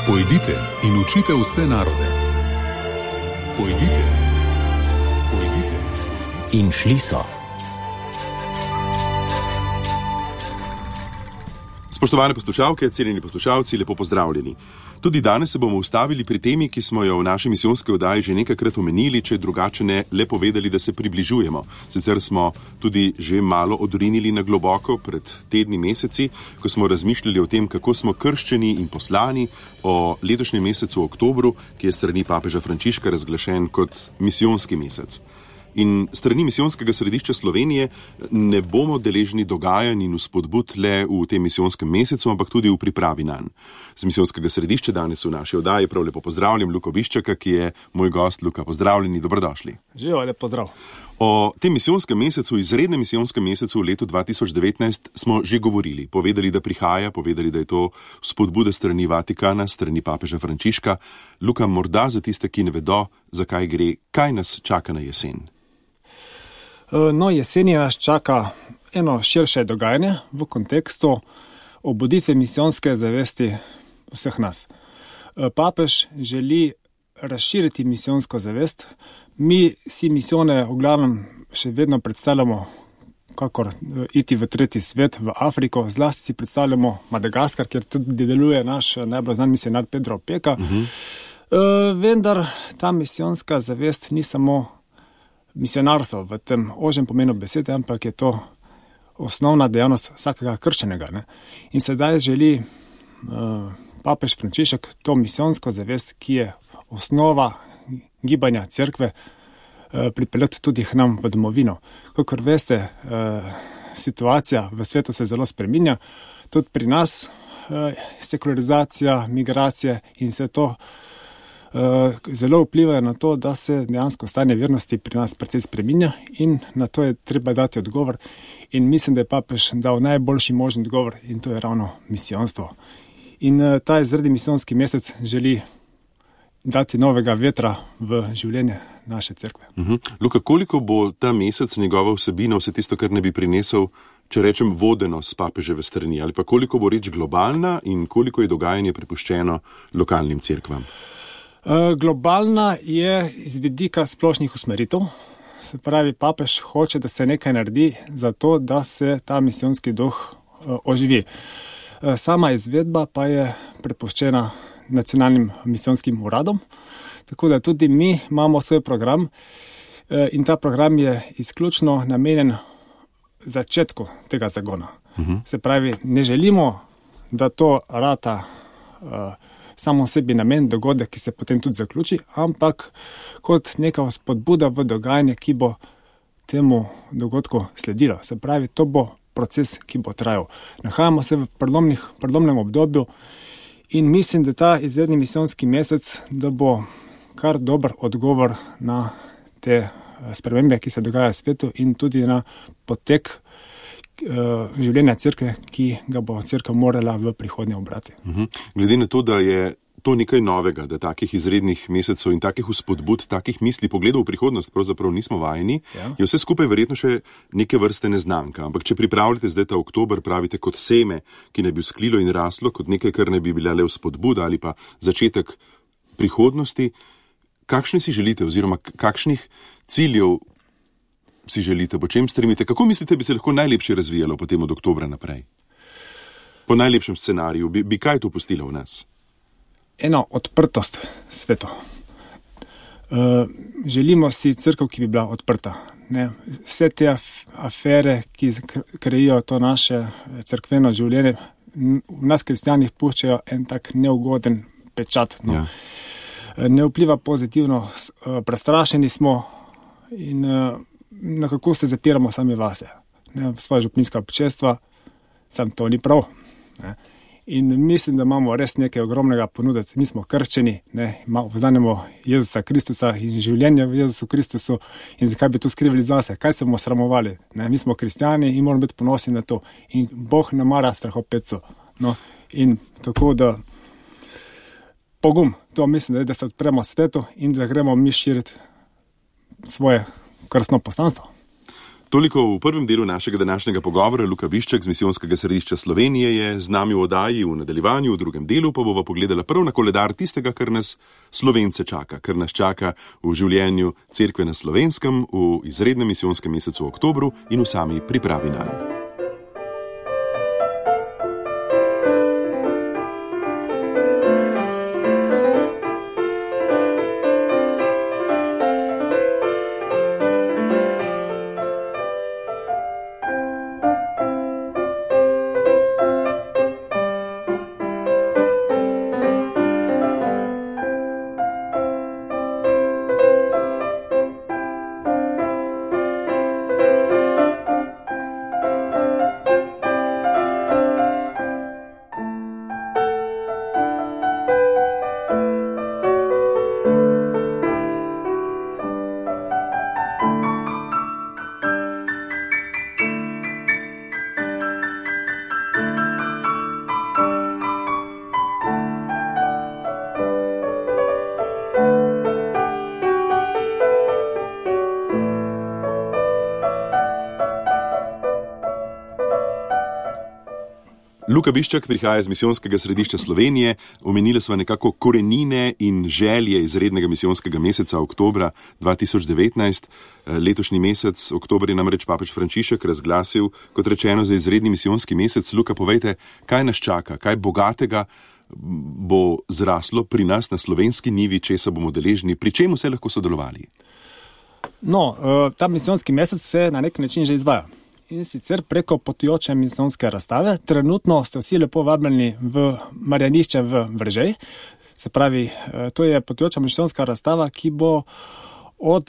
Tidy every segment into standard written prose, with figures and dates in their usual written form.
Pojdite in učite vse narode. Pojdite. In šli so. Spoštovane poslušalke, cenjeni poslušalci, lepo pozdravljeni. Tudi danes se bomo ustavili pri temi, ki smo jo v naši misijonski oddaji že nekajkrat omenili, če drugače ne le povedali, da se približujemo. Sicer smo tudi že malo odrinili na globoko pred tedni, meseci, ko smo razmišljali o tem, kako smo krščeni in poslani, o letošnjem mesecu oktobru, ki je strani papeža Frančiška razglašen kot misijonski mesec. In strani misijonskega središča Slovenije ne bomo deležni dogajanj in vzpodbud le v tem misijonskem mesecu, ampak tudi v pripravi nanj. Z misijonskega središča danes v naši oddaji prav lepo pozdravljam Luko Biščaka, ki je moj gost. Luka, pozdravljeni, dobrodošli. Živijo, lep pozdrav. O tem misijonskem mesecu, izrednem misijonskem mesecu v letu 2019 smo že govorili. Povedali, da prihaja, povedali, da je to vzpodbuda strani Vatikana, strani papeža Frančiška. Luka, morda za tiste, ki ne vedo, zakaj gre, kaj nas čaka na jesen? No, jeseni nas čaka eno širše dogajanje v kontekstu obuditve misijonske zavesti vseh nas. Papež želi razširiti misijonsko zavest. Mi si misijone v glavnem še vedno predstavljamo kakor iti v tretji svet, v Afriko. Zlasti si predstavljamo Madagaskar, kjer tudi deluje naš najbolj znan misionar Pedro Opeka. Vendar ta misijonska zavest ni samo misionarstvo v tem ožjem pomenu besede, ampak je to osnovna dejavnost vsakega krščenega. Ne? In sedaj želi papež Frančišek to misijonsko zavest, ki je osnova gibanja cerkve, pripeljati tudi k nam v domovino. Kakor veste, situacija v svetu se zelo spreminja, tudi pri nas sekularizacija, migracije in vse to zelo vplivajo na to, da se dejansko stanje vernosti pri nas precej spreminja in na to je treba dati odgovor. In mislim, da je papež dal najboljši možni odgovor in to je ravno misijonstvo. In ta izredni misijonski mesec želi dati novega vetra v življenje naše cerkve. Luka, koliko bo ta mesec njegova vsebina, vse tisto, kar ne bi prinesel, če rečem, vodeno s papeževe strani, ali pa koliko bo reč globalna in koliko je dogajanje prepuščeno lokalnim cerkvam? Globalna je iz vidika splošnih usmeritev. Se pravi, papež hoče, da se nekaj naredi za to, da se ta misijonski duh oživi. Sama izvedba pa je prepuščena nacionalnim misijonskim uradom, tako da tudi mi imamo svoj program in ta program je izključno namenjen začetku tega zagona. Se pravi, ne želimo, da to rata samo sebi namen dogodek, ki se potem tudi zaključi, ampak kot neka spodbuda v dogajanje, ki bo temu dogodku sledilo. Se pravi, to bo proces, ki bo trajal. Nahajamo se v prelomnem obdobju in mislim, da ta izredni misijonski mesec, da bo kar dober odgovor na te spremembe, ki se dogajajo v svetu in tudi na potek življenja cerkve, ki ga bo cerkev morala v prihodnje obrati. Glede na to, da je to nekaj novega, da takih izrednih mesecev in takih vzpodbud, takih misli, pogledov v prihodnost pravzaprav nismo vajeni, je vse skupaj verjetno še neke vrste neznanka. Ampak če pripravljate zdaj ta oktober, pravite kot seme, ki ne bi vzklilo in raslo, kot nekaj, kar ne bi bila le vzpodbuda ali pa začetek prihodnosti, kakšne si želite oziroma kakšnih ciljev si želite, po čem stremite? Kako mislite, bi se lahko najlepše razvijalo potem od oktobra naprej? Po najlepšem scenariju, bi kaj to pustilo v nas? Eno odprtost svetu. Želimo si cerkev, ki bi bila odprta. Ne? Vse te afere, ki krejijo to naše cerkveno življenje, v nas kristjanih puščajo en tak neugoden pečat. No? Ne vpliva pozitivno, prestrašeni smo in nekako se zapiramo sami vase, ne, v svoje župninska občestva, sam to ni prav. Ne. In mislim, da imamo res nekaj ogromnega ponuditi. Mi smo krščeni, poznamo Jezusa Kristusa in življenje v Jezusu Kristusu in zakaj bi to skrivali zase, kaj se bomo sramovali. Ne. Mi smo kristjani in moramo biti ponosni na to. In Bog ne mara strahopetcev. No. In tako da pogum, to mislim, da se odpremo svetu in da gremo mi širiti svoje krstno poslanstvo. Toliko v prvem delu našega današnjega pogovora. Luka Bišček z Misijonskega središča Slovenije je z nami v oddaji. V nadaljevanju, v drugem delu pa bova pogledala prav na koledar tistega, kar nas Slovence čaka, kar nas čaka v življenju cerkve na Slovenskem, v izrednem misijonskem mesecu v oktobru in v sami pripravi nanj. Luka Bišček prihaja iz Misijonskega središča Slovenije. Omenili sva nekako korenine in želje izrednega misijonskega meseca oktobra 2019. Letošnji mesec, oktober, je namreč papež Frančišek razglasil, kot rečeno, za izredni misijonski mesec. Luka, povejte, kaj nas čaka, kaj bogatega bo zraslo pri nas na slovenski nivi, česa bomo deležni, pri čem vse lahko sodelovali? No, ta misijonski mesec se na nek način že izvaja. In sicer preko potujoče misijonske razstave. Trenutno ste vsi lepo vabljeni v Marjanišče v Veržej. Se pravi, to je potujoča misijonska razstava, ki bo od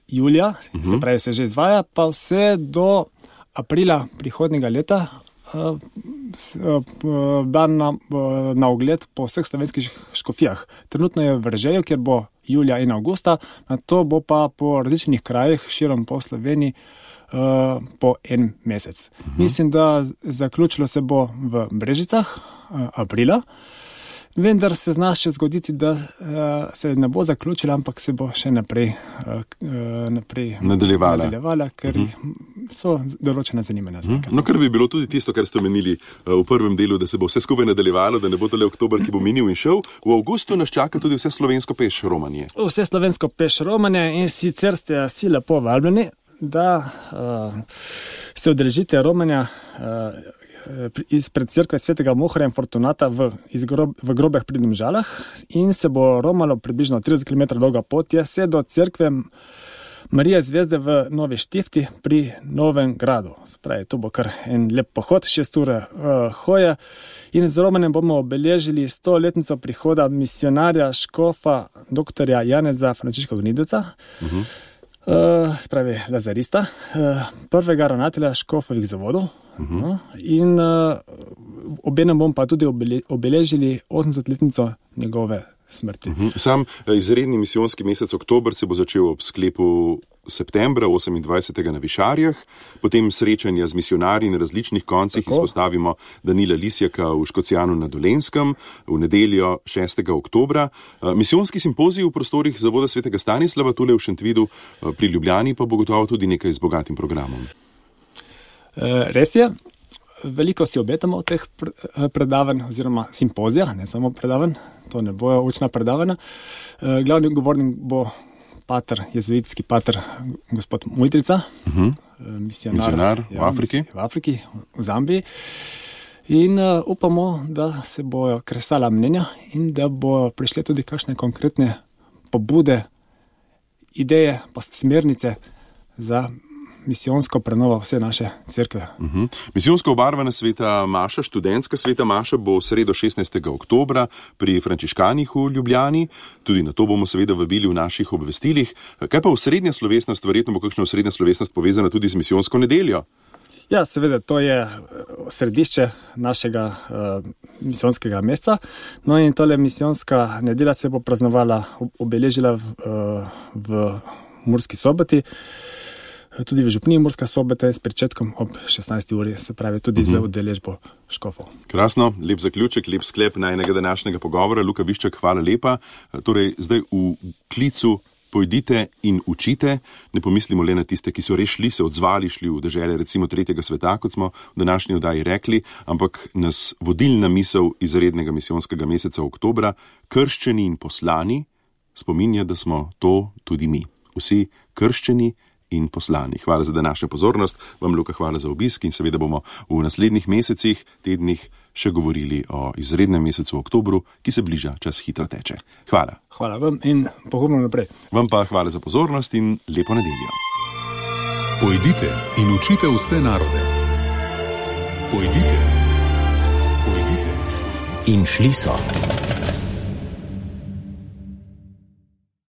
julija, se pravi, se že izvaja, pa vse do aprila prihodnjega leta, dan na ogled po vseh slovenskih škofijah. Trenutno je v Veržeju, kjer bo julija in avgusta, nato bo pa po različnih krajih širom po Sloveniji po en mesec. Mislim, da zaključilo se bo v Brežicah aprila, vendar se zna še zgoditi, da se ne bo zaključila, ampak se bo še naprej nadaljevala, ker so določena zanimanja. No, kar bi bilo tudi tisto, kar ste omenili v prvem delu, da se bo vse skupaj nadaljevalo, da ne bo tole oktober, ki bo minil in šel. V avgustu nas čaka tudi vse slovensko peš romanje. Vse slovensko peš romanje in sicer ste vsi lepo vabljeni, da se udeležite romanja izpred cerkve svetega Mohorja in Fortunata v Grobeh pri Domžalah in se bo romalo približno 30 km dolga pot je vse do cerkve Marije Zvezde v Novi Štifti pri Novem Gradu. Spravi, to bo kar en lep pohod, 6 ure hoje in z romanjem bomo obeležili 100-letnico prihoda misionarja škofa dr. Janeza Frančiška Gnidovca, spravi lazarista, prvega ravnatelja škofovih zavodov, in obenem bomo pa tudi obeležili 80-letnico njegove smrti. Sam izredni misijonski mesec oktober se bo začel ob sklepu septembra 28. na Višarjah, potem srečanja z misionarji na različnih koncih. Izpostavimo Danila Lisjaka v Škocjanu na Dolenjskem v nedeljo 6. oktobra. Misijonski simpozij v prostorih Zavoda svetega Stanislava tule v Šentvidu pri Ljubljani pa bo gotovo tudi nekaj z bogatim programom. Res je. Veliko si obetamo od teh predavanj oziroma simpozija, ne samo predavanj, to ne bojo učna predavanja. Glavni govornik bo pater, jezuitski pater, gospod Mujtrica, misionar v Afriki. V Afriki, v Zambiji. In upamo, da se bojo kresala mnenja in da bojo prišle tudi kakšne konkretne pobude, ideje, pa smernice za misijonsko prenovo vse naše cerkve. Misijonsko obarvana sveta maša, študentska sveta maša bo v sredo 16. oktobra pri Frančiškanih v Ljubljani. Tudi na to bomo seveda vabili v naših obvestilih. Kaj pa osrednja slovesnost? Verjetno bo kakšna osrednja slovesnost povezana tudi z misijonsko nedeljo? Ja, seveda, to je središče našega misijonskega meseca. No in tole misijonska nedelja se bo praznovala, obeležila v Murski Soboti, tudi v župniji Murska Sobota s pričetkom ob 16. uri, se pravi tudi za udeležbo škofov. Krasno, lep zaključek, lep sklep najnega današnjega pogovora. Luka Bišček, hvala lepa. Torej, zdaj v klicu pojdite in učite. Ne pomislimo le na tiste, ki so res se odzvali, šli v dežele recimo tretjega sveta, kot smo v današnji oddaji rekli, ampak nas vodilna misel izrednega misijonskega meseca oktobra, krščeni in poslani, spominja, da smo to tudi mi. Vsi krščeni in poslani. Hvala za današnjo pozornost, vam Luka hvala za obisk in seveda bomo v naslednjih mesecih, tednih še govorili o izrednem mesecu oktobru, ki se bliža, čas hitro teče. Hvala. Hvala vam in pogumno naprej. Vam pa hvala za pozornost in lepo nedeljo. Pojdite in učite vse narode. Pojdite. Pojdite. In šli so.